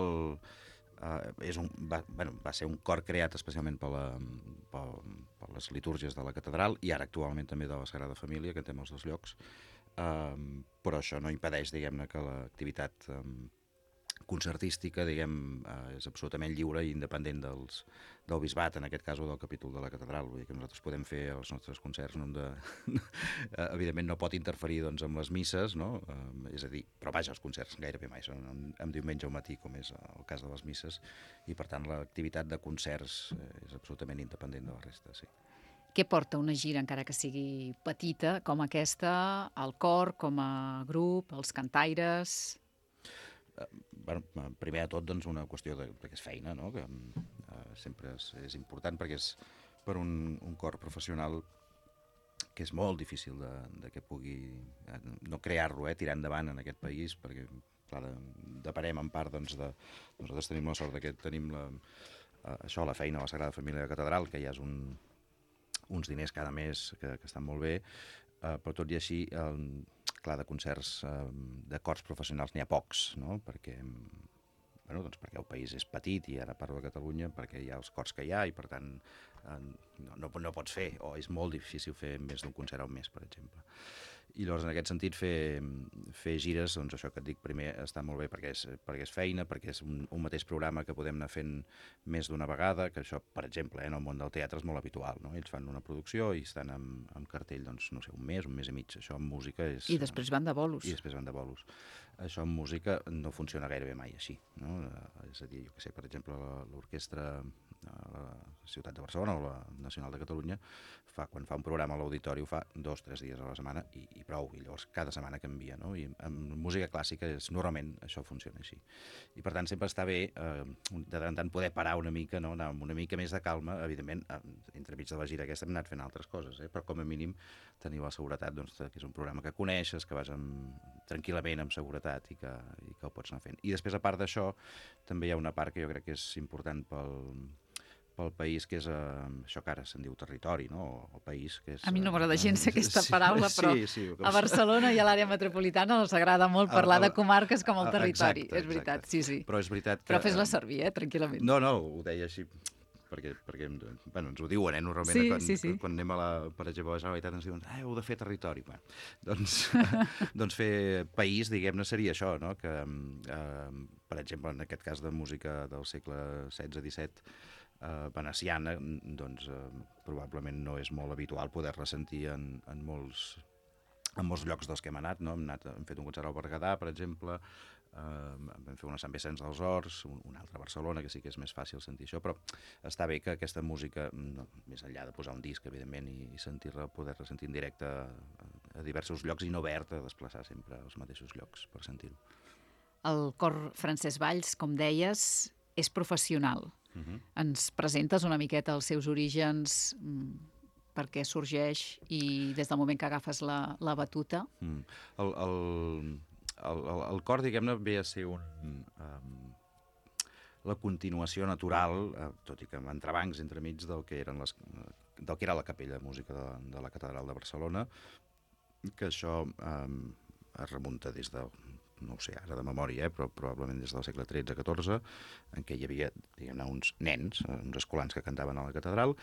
va ser un cor creat especialment per les litúrgies de la catedral i ara actualment també de la Sagrada Família, que tenim els dos llocs, però això no impedeix, diguem-ne, que l'activitat concertística, és absolutament lliure i independent del bisbat, en aquest cas, o del capítol de la catedral. Vull dir que nosaltres podem fer els nostres concerts, evidentment no pot interferir amb les misses, no? És a dir, però vaja, els concerts gairebé mai són en diumenge al matí, com és el cas de les misses, i per tant l'activitat de concerts és absolutament independent de la resta, sí. Què porta una gira, encara que sigui petita, com aquesta, al cor, com a grup, els cantaires? Primer de tot, una qüestió que és feina, no? Que sempre és important perquè és per un cor professional que és molt difícil de que pugui no crear-lo, tirar endavant en aquest país, perquè clar, depenem en part nosaltres tenim la sort que tenim la feina a la Sagrada Família de la Catedral, que ja és uns diners cada mes que estan molt bé, però tot i així clar, de concerts de cors professionals n'hi ha pocs, no? Perquè el país és petit i ara parlo de Catalunya perquè hi ha els cors que hi ha i per tant no pots fer, o és molt difícil fer més d'un concert al mes, per exemple. I llavors, en aquest sentit, fer gires, doncs això que et dic primer, està molt bé perquè és feina, perquè és un mateix programa que podem anar fent més d'una vegada, que això, per exemple, en el món del teatre és molt habitual, no? Ells fan una producció i estan amb cartell, doncs, no sé, un mes i mig. Això amb música és... I després van de bolos. Això amb música no funciona gairebé mai així, no? És a dir, jo què sé, per exemple, l'orquestra a la ciutat de Barcelona o la Nacional de Catalunya, quan fa un programa a l'auditori ho fa 2 o 3 dies a la setmana i prou, i llavors cada setmana canvia, no? I amb música clàssica normalment això funciona així. I per tant sempre està bé de tant en tant poder parar una mica, no? Anar amb una mica més de calma, evidentment, entremig de la gira aquesta hem anat fent altres coses, però com a mínim tenir la seguretat que és un programa que coneixes, que vas tranquil·lament amb seguretat i que el pots anar fent. I després, a part d'això, també hi ha una part que jo crec que és important pel país, que és això que ara se'n diu territori, no? El país, que és... A mi no m'agrada gens aquesta paraula, però a Barcelona i a l'àrea metropolitana els agrada molt parlar de comarques com el territori. És veritat, sí. Però és veritat que... Però fes-la servir, tranquil·lament. No, ho deia així perquè ens ho diuen, normalment, quan anem per exemple, a la Generalitat ens diuen heu de fer territori. Doncs fer país, diguem-ne, seria això, no? Que, per exemple, en aquest cas de música del segle XVI-XVII, veneciana, doncs probablement no és molt habitual poder-la sentir en molts llocs dels que hem anat, no? Hem fet un concert al Berguedà, per exemple, vam fer una Sant Vicenç dels Horts, un altre a Barcelona, que sí que és més fàcil sentir això, però està bé que aquesta música, més enllà de posar un disc, evidentment, i sentir-la, poder-la sentir en directe a diversos llocs i no haver-te de desplaçar sempre als mateixos llocs per sentir-ho. El cor Francesc Valls, com deies, és professional. Ens presentes una miqueta els seus orígens, per què sorgeix i des del moment que agafes la batuta? el cor, diguem-ne, ve a ser la continuació natural, tot i que amb entrebancs entremig del que era la capella de música de la Catedral de Barcelona, que això es remunta des de, no ho sé ara de memòria, però probablement des del segle XIII-XIV, en què hi havia, diguem-ne, uns nens, uns escolans que cantaven a la catedral,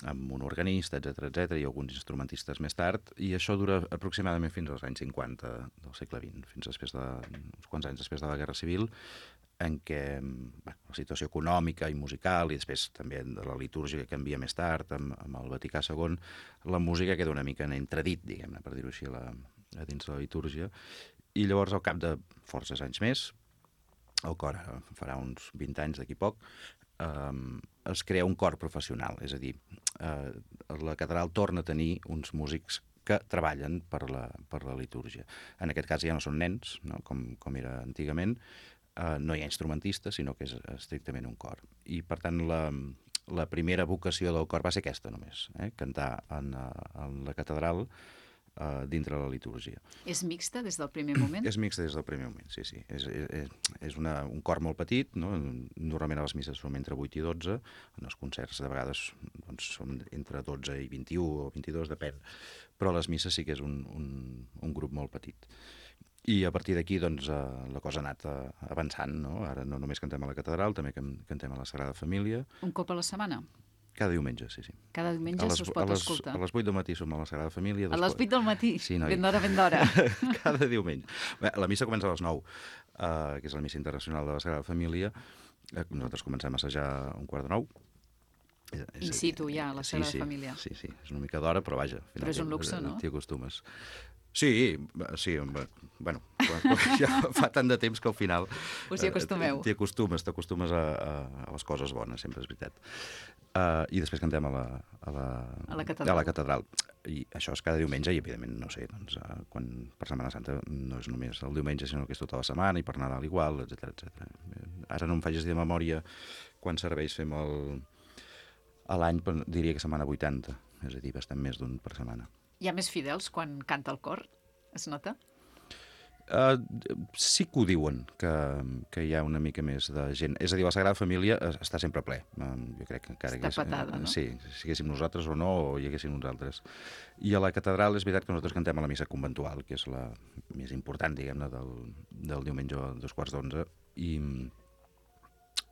amb un organista, etc i alguns instrumentistes més tard, i això dura aproximadament fins als anys 50 del segle XX, fins uns quants anys després de la Guerra Civil, en què la situació econòmica i musical, i després també de la litúrgia que canvia més tard, amb el Vaticà II, la música queda una mica en entredit, diguem-ne, per dir-ho així, a dins de la litúrgia, i llavors al cap de forces anys més, el cor farà uns 20 anys d'aquí poc, es crea un cor professional, és a dir, la catedral torna a tenir uns músics que treballen per la litúrgia. En aquest cas ja no són nens, no? Com era antigament, no hi ha instrumentistes, sinó que és estrictament un cor. I, per tant, la primera vocació del cor va ser aquesta només, cantar en la catedral dintre la litúrgia. És mixta des del primer moment? És mixta des del primer moment, sí. És un cor molt petit, no? Normalment a les misses som entre 8 i 12, en els concerts de vegades doncs, som entre 12 i 21 o 22, depèn, però a les misses sí que és un grup molt petit. I a partir d'aquí doncs, la cosa ha anat avançant, no? Ara no només cantem a la catedral, també cantem a la Sagrada Família. Un cop a la setmana? Cada diumenge, sí. Cada diumenge se'ls pot escoltar? A les 8 del matí som a la Sagrada Família. A les 8 del matí? Sí, noi. Ben d'hora. Cada diumenge. Bé, la missa comença a les 9, que és la missa internacional de la Sagrada Família. Nosaltres comencem a assajar a 8:45. In situ, ja, a la Sagrada Família. Sí, és una mica d'hora, però vaja. Però és un luxe, no? T'hi acostumes. Sí, bueno, ja fa tant de temps que al final... Us hi acostumeu. T'acostumes a les coses bones, sempre és veritat. I després cantem a la catedral. I això és cada diumenge i, evidentment, no sé, doncs, quan per Setmana Santa no és només el diumenge, sinó que és tota la setmana i per Nadal igual, etc. Ara no em facis de memòria quants serveis fem a l'any, però diria que setmana 80, és a dir, bastant més d'un per setmana. Hi ha més fidels quan canta el cor? Es nota? Sí que ho diuen, que hi ha una mica més de gent. És a dir, la Sagrada Família està sempre ple. Jo crec que encara està patada, no? Sí, si haguéssim nosaltres o no, o hi haguéssim uns altres. I a la catedral és veritat que nosaltres cantem a la missa conventual, que és la més important, diguem-ne, del diumenge a 2:45, i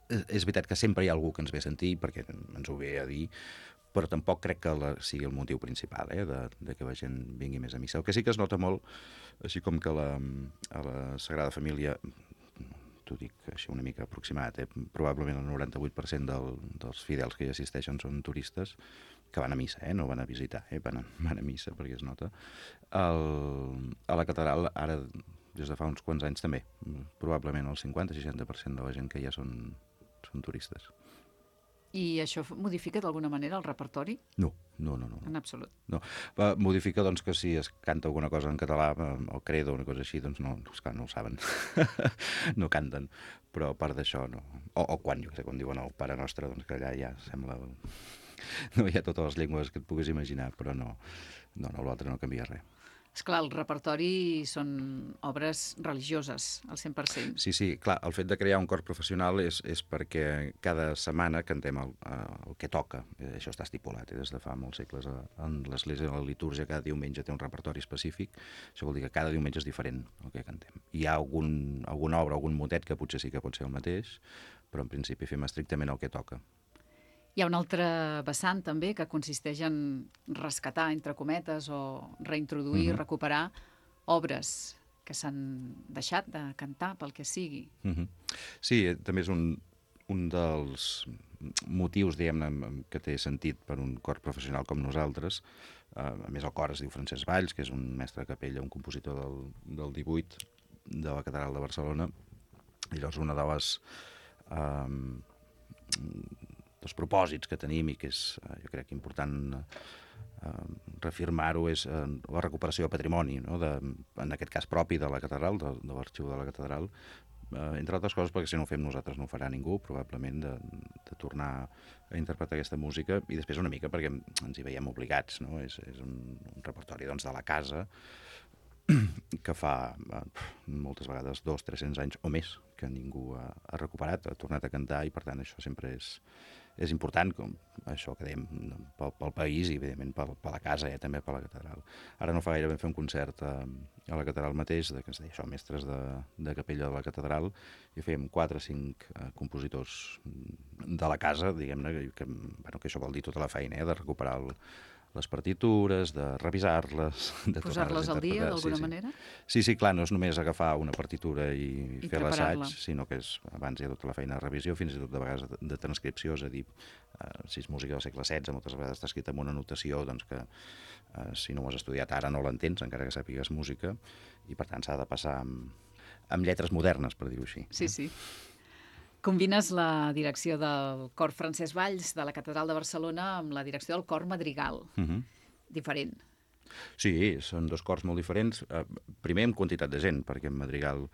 és veritat que sempre hi ha algú que ens ve a sentir, perquè ens ho ve a dir, però tampoc crec que sigui el motiu principal de que la gent vingui més a missa. El que sí que es nota molt, així com que a la Sagrada Família, t'ho dic així una mica aproximat, probablement el 98% dels fidels que hi assisteixen són turistes que van a missa, no van a visitar, van a missa perquè es nota. A la catedral, ara, des de fa uns quants anys també, probablement el 50-60% de la gent que hi ha són turistes. I això modifica d'alguna manera el repertori? No. En absolut? No. Modifica, doncs, que si es canta alguna cosa en català, el credo o una cosa així, doncs no, esclar, no ho saben. No canten. Però a part d'això, no. O quan, jo sé, quan diuen el Pare Nostre, doncs que allà ja sembla... No hi ha totes les llengües que et puguis imaginar, però no, l'altre no canvia res. Esclar, el repertori són obres religioses, al 100%. Sí, clar, el fet de crear un cor professional és perquè cada setmana cantem el que toca. Això està estipulat des de fa molts segles. En l'Església, la litúrgia, cada diumenge té un repertori específic. Això vol dir que cada diumenge és diferent el que cantem. Hi ha alguna obra, algun motet que potser sí que pot ser el mateix, però en principi fem estrictament el que toca. Hi ha un altre vessant també que consisteix en rescatar, entre cometes, o reintroduir, recuperar obres que s'han deixat de cantar pel que sigui. Sí, també és un dels motius, diguem-ne, que té sentit per un cor professional com nosaltres. A més, el cor es diu Francesc Valls, que és un mestre de capella, un compositor del 18 de la Catedral de Barcelona. I llavors una de dels propòsits que tenim i que és, jo crec, important reafirmar-ho, és la recuperació de patrimoni, en aquest cas propi de la catedral, de l'arxiu de la catedral, entre altres coses perquè si no ho fem nosaltres no ho farà ningú, probablement, de tornar a interpretar aquesta música, i després una mica perquè ens hi veiem obligats, no? És un repertori de la casa, que fa moltes vegades 200-300 anys o més que ningú ha recuperat, ha tornat a cantar, i per tant això sempre és important, com això que dèiem, pel país i evidentment per la casa, també per la catedral. Ara no fa gaire vam fer un concert a la catedral mateix, que es deia això, mestres de capella de la catedral, i fèiem 4 o 5 compositors de la casa, diguem-ne, que això vol dir tota la feina, de recuperar les partitures, de revisar-les, de posar-les al dia, d'alguna manera? Sí, clar, no és només agafar una partitura i fer l'assaig, sinó que abans hi ha tota la feina de revisió, fins i tot de vegades de transcripció, és a dir, si és música del segle XVI, moltes vegades està escrita amb una notació que si no ho has estudiat ara no l'entens, encara que sàpigues música, i per tant s'ha de passar amb lletres modernes, per dir-ho així. Sí. Combines la direcció del cor Francesc Valls de la Catedral de Barcelona amb la direcció del cor Madrigal. Diferent. Sí, són 2 cors molt diferents. Primer en quantitat de gent, perquè en Madrigal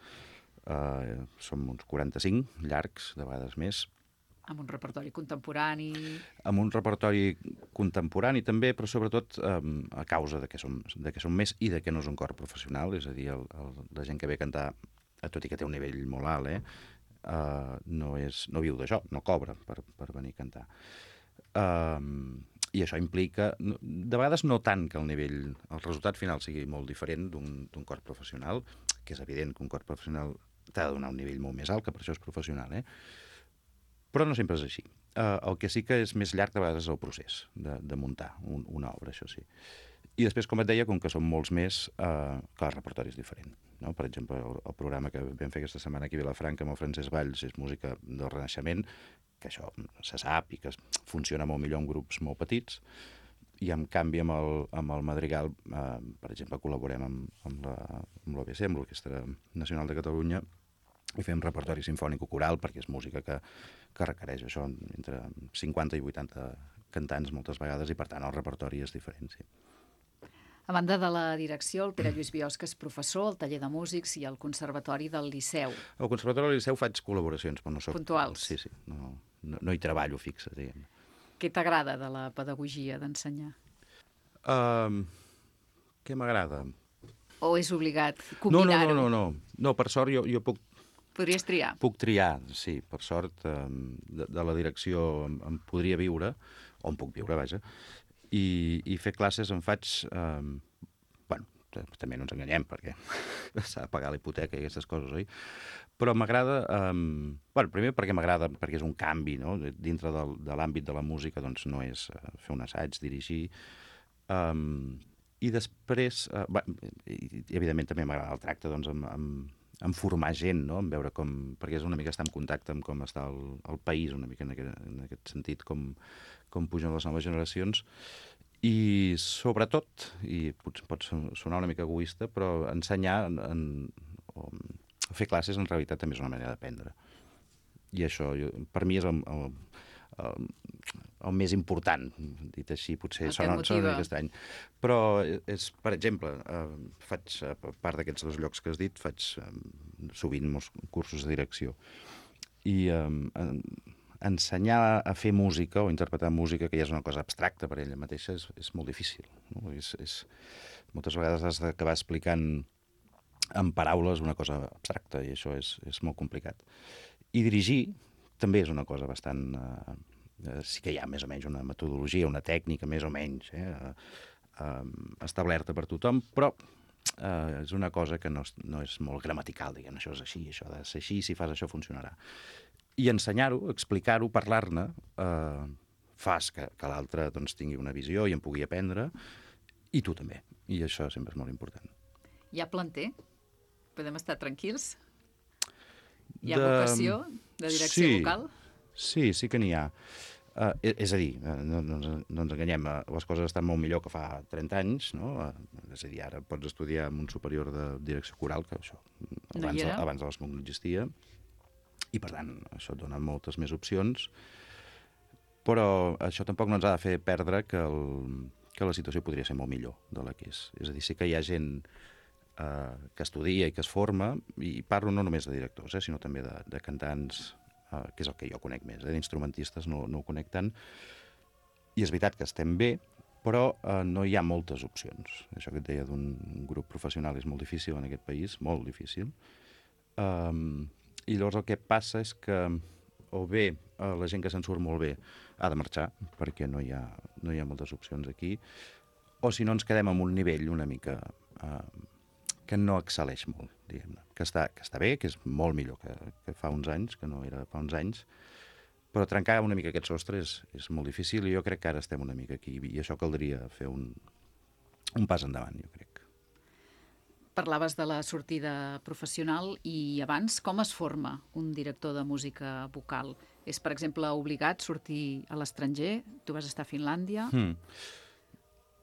som uns 45 llargs, de vegades més. Amb un repertori contemporani. Amb un repertori contemporani també, però sobretot a causa de que som més i de que no és un cor professional, és a dir, la gent que ve a cantar, tot i que té un nivell molt alt, no viu d'això, no cobra per venir a cantar. I això implica, de vegades no tant que el resultat final sigui molt diferent d'un cor professional, que és evident que un cor professional t'ha de donar un nivell molt més alt, que per això és professional, però no sempre és així. El que sí que és més llarg de vegades és el procés de muntar una obra, això sí. I després, com et deia, com que som molts més, que el repertori és diferent. Per exemple, el programa que vam fer aquesta setmana aquí a Vilafranca amb el Francesc Valls és música del Renaixement, que això se sap i que funciona molt millor en grups molt petits, i en canvi amb el Madrigal, per exemple, col·laborem amb l'OBC, amb l'Orquestra Nacional de Catalunya, i fem repertori sinfònic o coral, perquè és música que requereix això entre 50 i 80 cantants moltes vegades, i per tant el repertori és diferent, sí. A banda de la direcció, el Pere Lluís Biosca és professor al taller de músics i al Conservatori del Liceu. Al Conservatori del Liceu faig col·laboracions, però no soc... Puntuals. Sí, no hi treballo fixe, diguem. Què t'agrada de la pedagogia d'ensenyar? Què m'agrada? O és obligat combinar-ho? No, per sort jo puc... Podries triar? Puc triar, sí, per sort. De la direcció em podria viure, o em puc viure, vaja, i fer classes en faig... també no ens enganyem, perquè s'ha de pagar la hipoteca i aquestes coses, oi? Però m'agrada... primer perquè m'agrada, perquè és un canvi, no? Dintre de l'àmbit de la música, doncs no és fer un assaig, dirigir... I després... evidentment també m'agrada el tracte, doncs, en formar gent, no? En veure com... Perquè és una mica estar en contacte amb com està el país, una mica en aquest sentit, com pugen les noves generacions, i sobretot, i pot sonar una mica egoista, però ensenyar o fer classes en realitat també és una manera d'aprendre. I això, per mi, és el més important, dit així, potser sona una mica estrany. Però, per exemple, faig, a part d'aquests 2 llocs que has dit, faig sovint molts cursos de direcció. I ensenyar a fer música o interpretar música, que ja és una cosa abstracta per ella mateixa, és molt difícil. Moltes vegades has d'acabar explicant en paraules una cosa abstracta, i això és molt complicat. I dirigir també és una cosa bastant... sí que hi ha més o menys una metodologia, una tècnica més o menys establerta per tothom, però és una cosa que no és molt gramatical, diguem, això és així, això ha de ser així, si fas això funcionarà. I ensenyar-ho, explicar-ho, parlar-ne, fas que l'altre tingui una visió i en pugui aprendre, i tu també. I això sempre és molt important. Hi ha planter? Podem estar tranquils? Hi ha vocació de direcció vocal? Sí que n'hi ha. És a dir, no ens enganyem, les coses estan molt millor que fa 30 anys, no? És a dir, ara pots estudiar en un superior de direcció coral, que això abans de l'ESMUC no existia, i per tant això et dona moltes més opcions, però això tampoc no ens ha de fer perdre que la situació podria ser molt millor de la que és. És a dir, sí que hi ha gent que estudia i que es forma, i parlo no només de directors, sinó també de cantants, que és el que jo conec més, d'instrumentistes no ho conec tant, i és veritat que estem bé, però no hi ha moltes opcions. Això que et deia d'un grup professional és molt difícil en aquest país, molt difícil. I llavors el que passa és que o bé la gent que se'n surt molt bé ha de marxar, perquè no hi ha moltes opcions aquí, o si no ens quedem en un nivell una mica que no excel·leix molt, diguem-ne. Que està bé, que és molt millor que fa uns anys, que no era fa uns anys, però trencar una mica aquest sostre és molt difícil i jo crec que ara estem una mica aquí i això caldria fer un pas endavant, jo crec. Parlaves de la sortida professional i abans com es forma un director de música vocal? És, per exemple, obligat sortir a l'estranger? Tu vas estar a Finlàndia?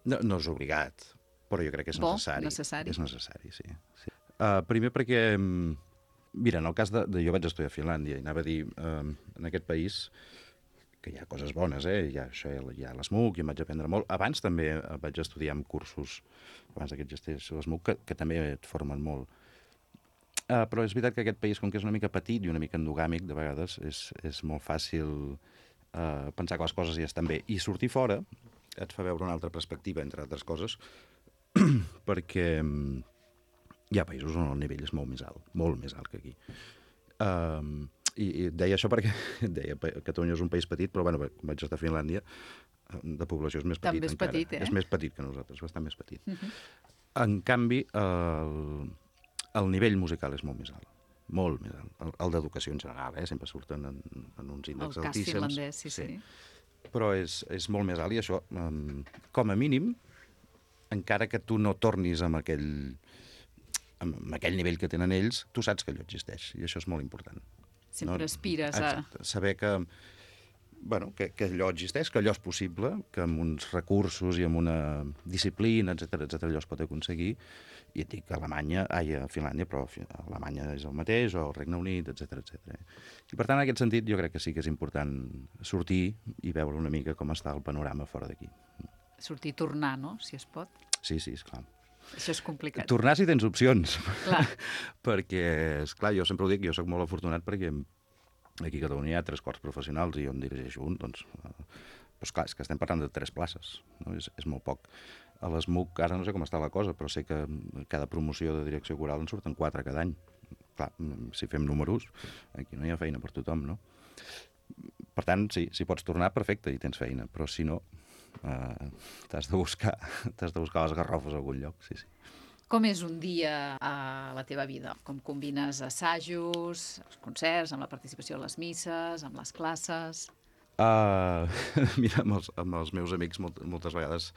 No és obligat, però jo crec que és necessari. Necessari? És necessari, sí. Primer perquè, mira, en el cas de jo vaig estudiar a Finlàndia i anava a dir, en aquest país, que hi ha coses bones, hi ha l'SMUC, i em vaig aprendre molt. Abans també vaig estudiar amb cursos, abans que existís l'SMUC, que també et formen molt. Però és veritat que aquest país, com que és una mica petit i una mica endogàmic, de vegades és molt fàcil pensar que les coses ja estan bé. I sortir fora et fa veure una altra perspectiva, entre altres coses, perquè hi ha països on el nivell és molt més alt que aquí. I deia això perquè Catalunya és un país petit, però bueno, vaig estar a Finlàndia, de població és més petit encara. També és petit, És més petit que nosaltres, bastant més petit. En canvi, el nivell musical és molt més alt. Molt més alt. El d'educació en general, sempre surten en uns índexs altíssims. El cas finlandès, sí. Però és molt més alt i això, com a mínim, encara que tu no tornis amb aquell nivell que tenen ells, tu saps que allò existeix i això és molt important. Sempre aspires a... Exacte. Saber que allò existeix, que allò és possible, que amb uns recursos i amb una disciplina, etc allò es pot aconseguir. I et dic a Finlàndia, però a Alemanya és el mateix, o al Regne Unit, etc. I per tant, en aquest sentit, jo crec que sí que és important sortir i veure una mica com està el panorama fora d'aquí. Sortir i tornar, no?, si es pot. Sí, esclar. Això és complicat. Tornar si tens opcions. Clar. Perquè, esclar, jo sempre ho dic, jo sóc molt afortunat perquè aquí a Catalunya hi ha 3 cors professionals i jo en dirigeixo un, doncs clar, és que estem parlant de 3 places, no? És molt poc. A l'SMUC ara no sé com està la cosa, però sé que cada promoció de direcció coral en surten 4 cada any. Clar, si fem números, aquí no hi ha feina per tothom, no? Per tant, sí, si pots tornar, perfecte, i tens feina, però si no, t'has de buscar les garrofes a algun lloc, sí. Com és un dia a la teva vida? Com combines assajos, els concerts, amb la participació a les misses, amb les classes? Mira, amb els meus amics moltes vegades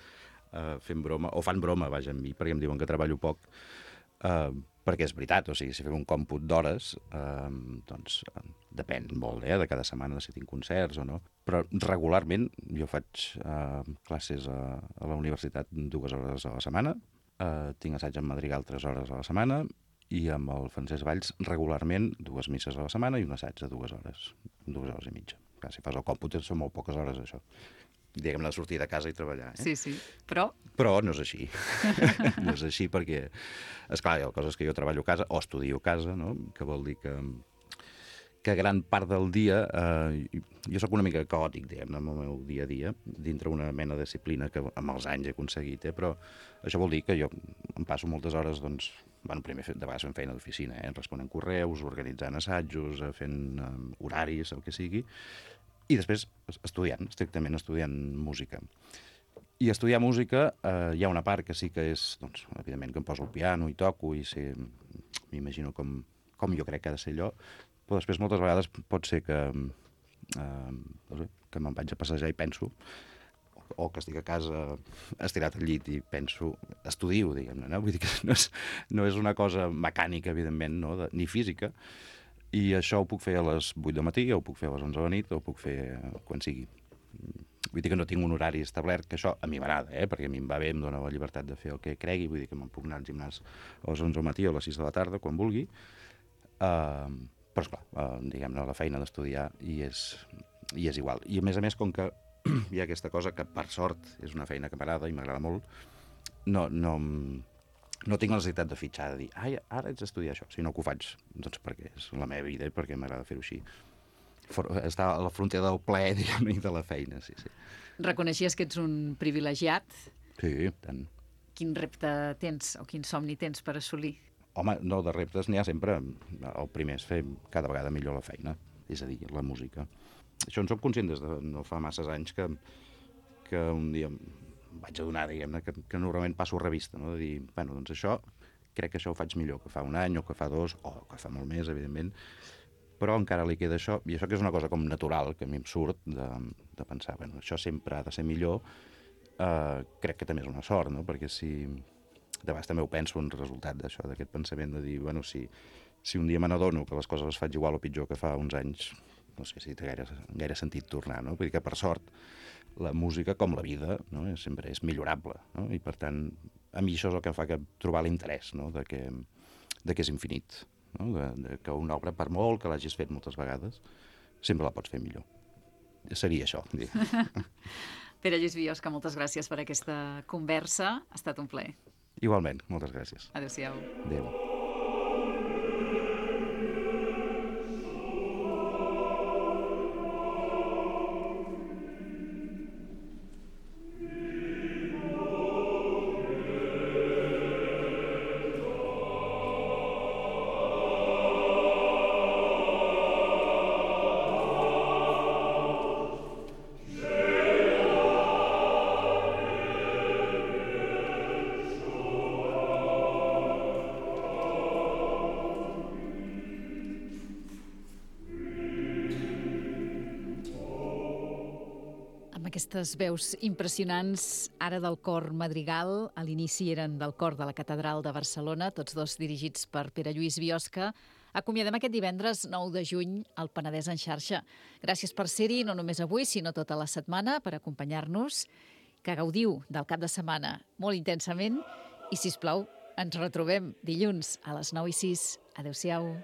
fem broma, o fan broma, vaja, amb mi, perquè em diuen que treballo poc, perquè és veritat, o sigui, si fem un còmput d'hores, doncs depèn molt, de cada setmana, si tinc concerts o no, però regularment jo faig classes a la universitat 2 hores a la setmana, tinc assaig en madrigal 3 hores a la setmana, i amb el Francesc Valls regularment 2 misses a la setmana i un assaig de 2 hores, 2 hores i mitja. Clar, si fas el còmput són molt poques hores, això. Diguem-ne, de sortir de casa i treballar. Sí, però no és així. No és així perquè, esclar, hi ha coses que jo treballo a casa o estudio a casa, no? Que vol dir que gran part del dia... jo sóc una mica caòtic, diguem-ne, amb el meu dia a dia, dintre una mena de disciplina que amb els anys he aconseguit, però això vol dir que jo em passo moltes hores, doncs, primer de vegades fent feina d'oficina, responent correus, organitzant assajos, fent horaris, el que sigui, i després estrictament estudiant música. I estudiar música hi ha una part que sí que és, doncs, evidentment que em poso al piano i toco i m'imagino com jo crec que ha de ser allò, però després moltes vegades pot ser que me'n vaig a passejar i penso, o que estic a casa estirat al llit i penso, estudio, diguem-ne, no? Vull dir que no és una cosa mecànica, evidentment, no? Ni física, i això ho puc fer a les 8 del matí, o ho puc fer a les 11 de la nit, o ho puc fer quan sigui. Vull dir que no tinc un horari establert, que això a mi m'agrada, perquè a mi em va bé, em dona la llibertat de fer el que cregui, vull dir que me'n puc anar al gimnàs a les 11 del matí o a les 6 de la tarda, quan vulgui, però esclar, diguem-ne, la feina d'estudiar i és igual. I a més, com que hi ha aquesta cosa que per sort és una feina que m'agrada i m'agrada molt, no tinc la necessitat de fitxar, de dir, ara haig d'estudiar això, sinó que ho faig, doncs perquè és la meva vida i perquè m'agrada fer-ho així. Està a la frontera del plaer, diguem, i de la feina, sí. Reconeixies que ets un privilegiat? Sí, tant. Quin repte tens o quin somni tens per assolir? Home, no, de reptes n'hi ha sempre. El primer és fer cada vegada millor la feina, és a dir, la música. Això en soc conscient des de no fa masses anys que un dia vaig adonar, diguem-ne, que normalment passo revista, no? De dir, bueno, doncs això, crec que això ho faig millor que fa un any o que fa 2, o que fa molt més, evidentment, però encara li queda això, i això que és una cosa com natural, que a mi em surt de pensar, bueno, això sempre ha de ser millor, crec que també és una sort, no? Perquè si... De vegades també ho penso en resultat d'això, d'aquest pensament de dir, bueno, si un dia me n'adono que les coses les faig igual o pitjor que fa uns anys, no sé si té gaire sentit tornar, no? Vull dir que, per sort, la música, com la vida, no? Sempre és millorable, no? I, per tant, a mi això és el que em fa trobar l'interès, no? De que és infinit, no? De que una obra, per molt que l'hagis fet moltes vegades, sempre la pots fer millor. Seria això. Pere Lluís Biosca, moltes gràcies per aquesta conversa. Ha estat un plaer. Igualment, moltes gràcies. Adéu-siau. Adéu. Aquestes veus impressionants, ara del cor Madrigal, a l'inici eren del cor de la Catedral de Barcelona, tots dos dirigits per Pere Lluís Biosca. Acomiadem aquest divendres 9 de juny al Penedès en xarxa. Gràcies per ser-hi, no només avui, sinó tota la setmana, per acompanyar-nos. Que gaudiu del cap de setmana molt intensament i, sisplau, ens retrobem dilluns a les 9:06. Adéu-siau.